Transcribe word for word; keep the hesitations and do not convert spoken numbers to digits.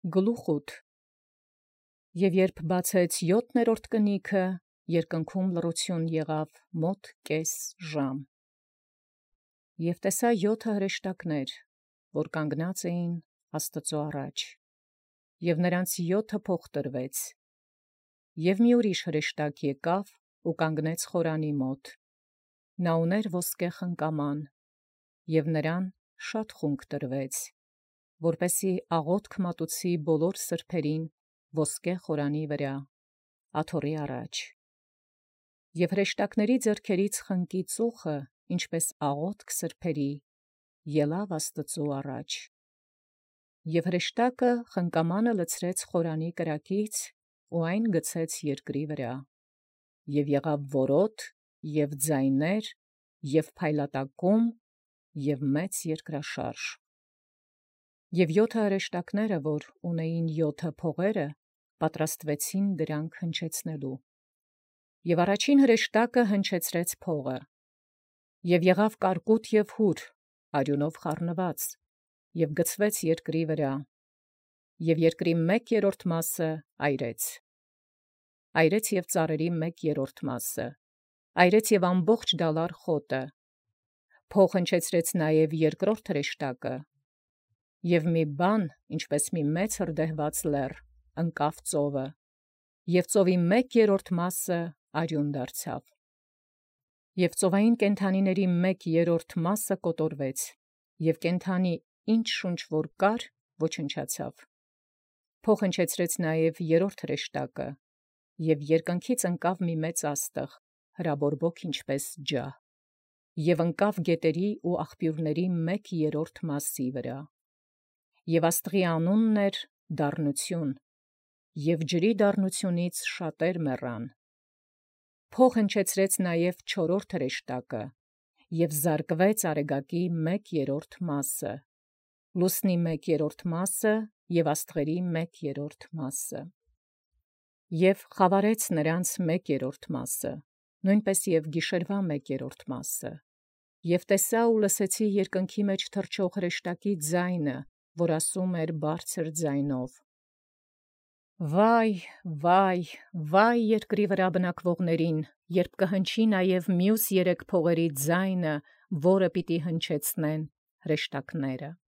Գլուխ ութ Եւ երբ բացեաց յոթերորդ կնիքը, երկնքում լռութիւն եղանէ մոտ կես ժամ. Եւ տեսայ յոթ հրեշտակս, որ կանգնած էին Աստուծոյ առաջ, եւ նոցա յոթ փոխտրուեցան. եւ մի ուրիշ հրեշտակ եկեալ և կանգնեց խորանին մոտ. նա ունէր ոսկե խնկաման, եւ նրան բազում խունկ տրուեց, որպէսզի աղաւթք մատուցի բոլոր սրբոցն ոսկե խորանին վրայ, աթոռի առաջ. եւ հրեշտակաց ձեռքերից խնկի ծուխը, ինչպէս աղաւթք սրբոցի, ելանէր Աստուծոյ առաջ. եւ հրեշտակը խնկամանը լցրեց խորանին կրակից, և այն գցեց երկրի վրայ. և եղանէր որոտ և ձայնաւր և փայլատակում և մեծ երկրաշարժ. և յոթ հրեշտակս, որ ունէին յոթ փողեր, պատրաստվեցին դրանք հնչեցուցանել. և առաջին հրեշտակը հնչեցուցեալ փողը. և եղանէր կարկուտ և հուր արիւնով խառնուած, և գցուեցաւ երկրի վրայ, և երկրի մեկ երրորդ այրեց. այրեց և ծառերի մեկ երրորդ, այրեց և ամբողջ դալար խոտը. փող հնչեցուցեալ նաև երկրորդ հրեշտակը. և մի բան, ինչպէս մի մեծ հրդեհուած լեռ, ընկավ ծովը, և ծովի մեկ երրորդ արիւն դարձավ. և ծովային կենդանիցն մեկ երրորդ կոտորվեց, և կենդանի ինչ շունչ որ կար, ոչնչացավ. փող հնչեցուցեալ նաև երրորդ հրեշտակը. և երկնքից ընկավ մի մեծ աստղ, հրաբորբոք ինչպէս ջահ, և ընկավ գետացն և աղբիւրացն մեկ երրորդ վրա. և աստղի անունն էր Դառնութիւն, և ջրի դառնութիւնից բազում մեռան. փող հնչեցուցեալ նաև չորրորդ հրեշտակը. և զարկուեց արեգակոյ մեկ երրորդ, լուսնի մեկ երրորդ և աստղերու մեկ երրորդ. և խաւարեց նոցա մեկ երրորդ, նոյնպէս և գիշերոյ մեկ երրորդ. և տեսայ և լսեցի յերկինս մեջ թռչող հրեշտակի ձայն, որ ասէր բարձր ձայնով. «Վայ, վայ, վայ երկրի վրայ բնակվողացն, յորժամ կհնչի նաև մյուս երեք փողացն ձայնը, որում պիտի հնչեցնեն հրեշտակս։